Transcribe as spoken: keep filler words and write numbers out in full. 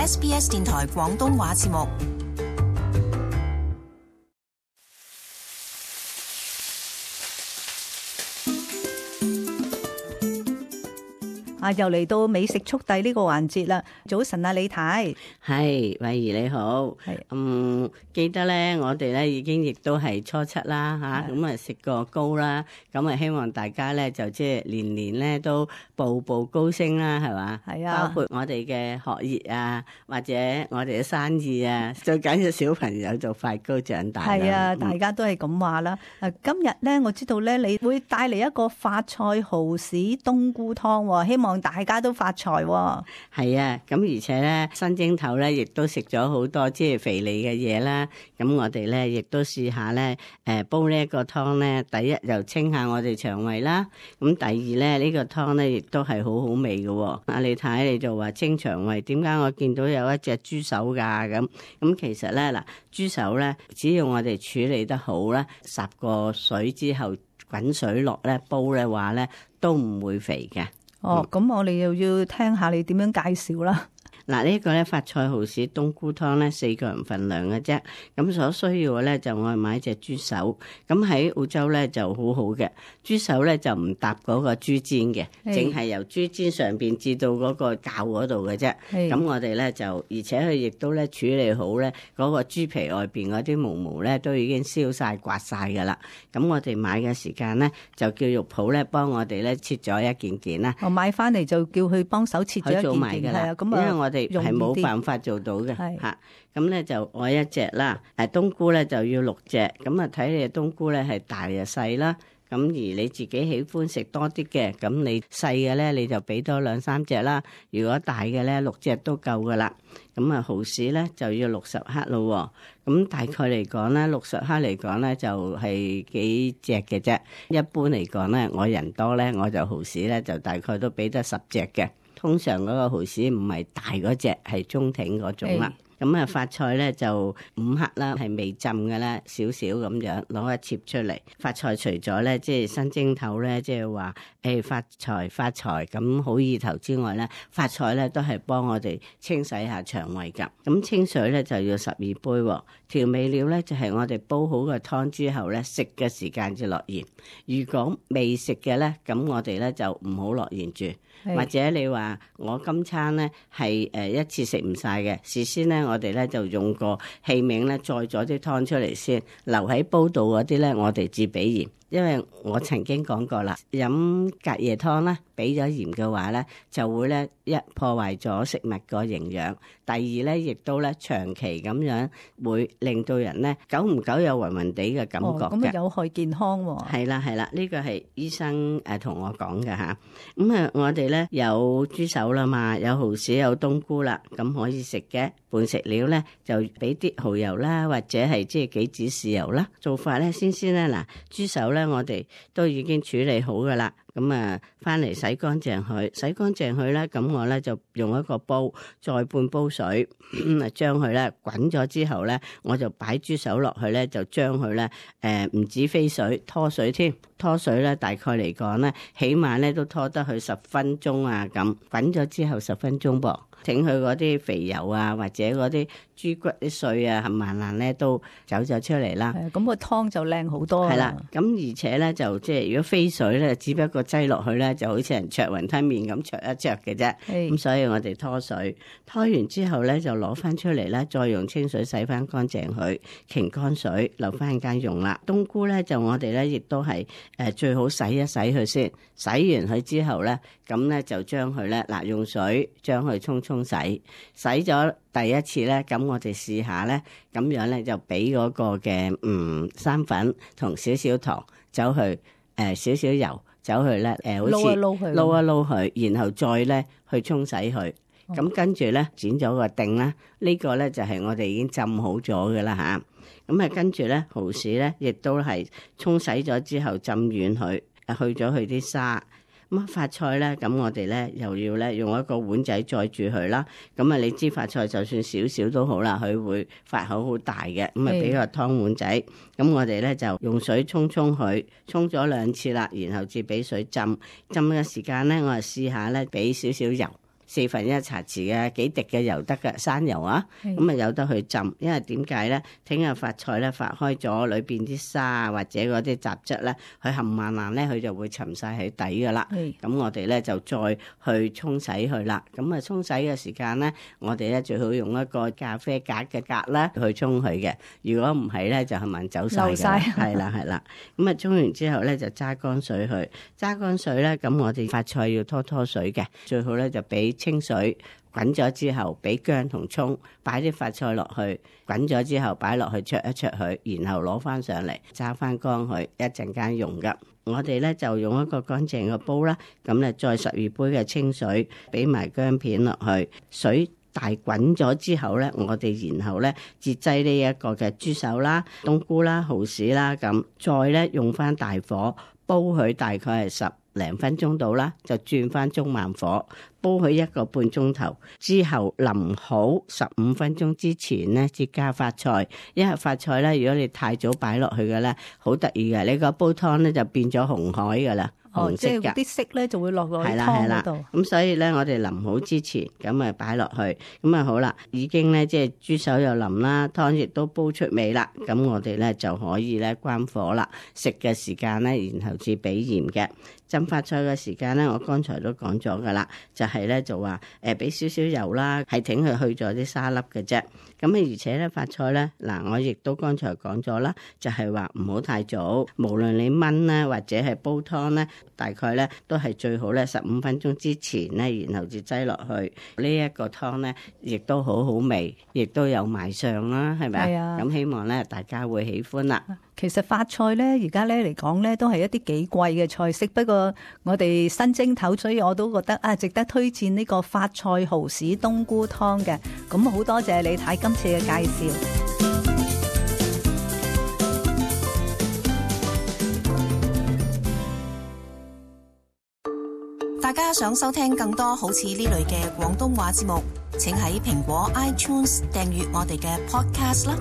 S B S 電台廣東話節目。啊，又嚟到美食速遞呢個環節啦！早晨啊，李太，係慧怡你好，係嗯，記得咧，我哋咧已經亦都係初七啦吓，咁啊食過糕啦，咁啊希望大家咧就即係年年咧都步步高升啦，係嘛？係啊，包括我哋嘅學業啊，或者我哋嘅生意啊，最緊要小朋友就快高長大。係啊，嗯、大家都係咁話啦。誒，今日咧我知道咧你會帶嚟一個發菜蠔豉冬菇湯，希望大家都發財喎。係啊，咁而且咧新正頭咧，亦都食咗好多即係肥膩嘅嘢啦。咁我哋咧亦都試下咧，誒煲呢一個湯咧，第一又清下我哋腸胃啦。咁第二咧呢個湯咧亦都係好好味嘅。阿你睇你就話清腸胃，點解我見到有一隻豬手㗎？咁咁其實咧嗱，豬手咧只要我哋處理得好咧，十個水之後滾水落咧煲嘅話咧，都唔會肥嘅。哦，咁我哋又要聽下你點樣介紹啦。嗱，呢個咧發菜蠔豉冬菇湯咧四個人份量嘅啫，咁所需要嘅咧就我係買隻豬手，咁喺澳洲咧就好好嘅，豬手咧就唔搭嗰個豬肩嘅，淨係由豬肩上邊至到嗰個臼嗰度嘅啫。咁我哋咧就，而且佢亦都咧處理好咧，嗰個豬皮外邊嗰啲毛毛咧都已經燒晒刮晒噶啦。咁我哋買嘅時間咧就叫肉鋪咧幫我哋咧切咗一件件啦。我買翻嚟就叫佢幫手切咗一件件，係啊，咁啊，因為我哋係冇辦法做到嘅嚇，咁咧就我一隻啦，誒冬菇咧就要六隻，咁啊睇你嘅冬菇咧係大又細啦，咁而你自己喜歡食多啲嘅，咁你細嘅咧你就俾多兩三隻啦，如果大嘅咧六隻都夠噶啦，咁啊蠔豉咧就要六十克咯，咁大概嚟講咧六十克嚟講咧就係幾隻嘅啫，一般嚟講咧我人多咧我就蠔豉咧就大概都俾得十隻嘅。通常嗰個蠔豉唔係大嗰隻，係中挺嗰種啦。咁啊，發菜咧就五克啦，係未浸嘅啦，少少咁樣攞一切出嚟。發菜除咗咧，即係新蒸頭咧，即係話誒發財發財咁好意頭之外咧，發菜咧都係幫我哋清洗下腸胃㗎。咁清水咧就要十二杯，調味料咧就係我哋煲好個湯之後咧，食嘅時間就落鹽。如果未食嘅咧，咁我哋咧就唔好落鹽住。或者你話我今餐咧係誒一次食唔晒嘅，事先咧我哋咧就用個器皿咧載咗啲湯出嚟先，留喺煲度嗰啲咧我哋至俾鹽。因為我曾經講過啦，飲隔夜湯咧，俾咗鹽嘅話咧，就會咧一破壞咗食物個營養。第二咧，亦都咧長期咁樣會令到人咧久唔久有暈暈地嘅感覺嘅。咁啊有害健康喎。係啦係啦，呢個係醫生誒同我講嘅嚇。咁啊，我哋咧有豬手啦嘛，有蠔豉有冬菇啦，咁可以食嘅。伴食料咧就俾啲蠔油啦，或者係即係杞子豉油啦。做法咧先先咧嗱，豬手咧我哋都已經處理好噶啦。咁啊，翻嚟洗乾淨佢，洗乾淨佢咧，咁我咧就用一個煲，再半煲水，咁啊將佢咧滾咗之後咧，我就擺豬手落去咧，就將佢咧誒唔止飛水，拖水添，拖水咧大概嚟講咧，起碼咧都拖得佢十分鐘啊咁，滾咗之後十分鐘噃。整佢嗰啲肥油啊，或者嗰啲豬骨啲碎啊，冚唪唥咧都走咗出嚟啦。係咁個湯就靚好多。係啦，咁而且咧就即係如果飛水咧，只不過擠落去咧，就好似人灼雲吞麵咁灼一灼嘅啫。咁所以我哋拖水，拖完之後咧就攞翻出嚟咧，再用清水洗翻乾淨佢，擎乾水留翻間用啦。冬菇咧就我哋咧亦都係誒最好洗一洗佢先，洗完佢之後咧，咁咧就將佢咧嗱用水將佢沖沖洗，洗咗第一次咧，咁我哋試下咧，咁樣咧就俾嗰個嘅嗯生粉同少少糖走去誒、呃、少少油走去咧誒、呃、好似撈一撈佢，撈一撈佢，然後再咧去沖洗佢。咁、哦、跟住咧剪咗個定啦，呢、這個咧就係、是、我哋已經浸好咗嘅啦吓。咁啊跟住咧蠔豉咧亦都係沖洗咗之後浸軟佢，去咗佢啲沙。咁發菜咧，咁我哋咧又要咧用一個碗仔載住佢啦。咁啊，你知發菜就算少少都好啦，佢會發口好大嘅。咁啊，俾個湯碗仔。咁我哋咧就用水沖沖佢，沖咗兩次啦，然後至俾水浸。浸嘅時間咧，我啊試下咧俾少少油。四分一茶匙嘅幾滴嘅油得嘅生油啊，咁啊有得去浸，因為點解咧？聽日髮菜咧發開咗，裏邊啲沙啊或者嗰啲雜質咧，佢冚唪唥咧佢就會沉晒喺底噶啦。咁我哋咧就再去沖洗佢啦。咁啊沖洗嘅時間咧，我哋咧最好用一個咖啡格嘅格啦去沖佢嘅。如果唔係咧，就係咪走晒嘅？係啦係啦。咁啊沖完之後咧就揸乾水去，揸乾水咧咁我哋髮菜要拖拖水嘅，最好咧就俾清水滾咗之後，俾薑同葱，擺啲髮菜落去，滾咗之後擺落去焯一焯佢，然後攞翻上嚟揸翻乾佢，一陣間用噶。我哋咧就用一個乾淨嘅煲啦，咁咧再十二杯嘅清水，俾埋薑片落去，水大滾咗之後咧，我哋然後咧節製呢一個嘅豬手啦、冬菇啦、蠔豉啦，咁再咧用翻大火煲佢，大概係十零分鐘到啦，就轉翻中慢火煲佢一個半鐘頭之後，淋好十五分鐘之前咧，至加髮菜。因為髮菜咧，如果你太早擺落去嘅咧，好得意嘅，你個煲湯咧就變咗紅海噶啦。哦，即係啲色咧就會落落去湯嗰度。咁所以咧，我哋淋好之前，咁啊擺落去，咁啊好啦，已經咧即係豬手又淋啦，湯亦都煲出味啦。咁我哋咧就可以咧關火啦。食嘅時間咧，然後至俾鹽嘅。浸髮菜嘅時間咧，我剛才都講咗噶啦，就係、是、咧就話誒俾少少油啦，係挺佢去咗啲沙粒嘅啫。咁啊而且咧髮菜咧嗱，我亦都剛才講咗啦，就係話唔好太早，無論你燜咧或者係煲湯咧，大概咧都係最好咧十五分鐘之前咧，然後至擠落去。呢、這、一個湯咧亦都好好味，亦都有賣相啦，係咪啊？咁希望咧大家會喜歡啦。其實髮菜咧而家咧嚟講咧都係一啲幾貴嘅菜式，不過我哋新蒸頭，所以我都覺得啊值得推薦呢個髮菜蠔豉冬菇湯嘅。咁好多謝李太今次嘅介紹。大家想收聽更多好似呢類嘅廣東話節目，請喺蘋果 iTunes 訂閱我哋嘅 Podcast 啦。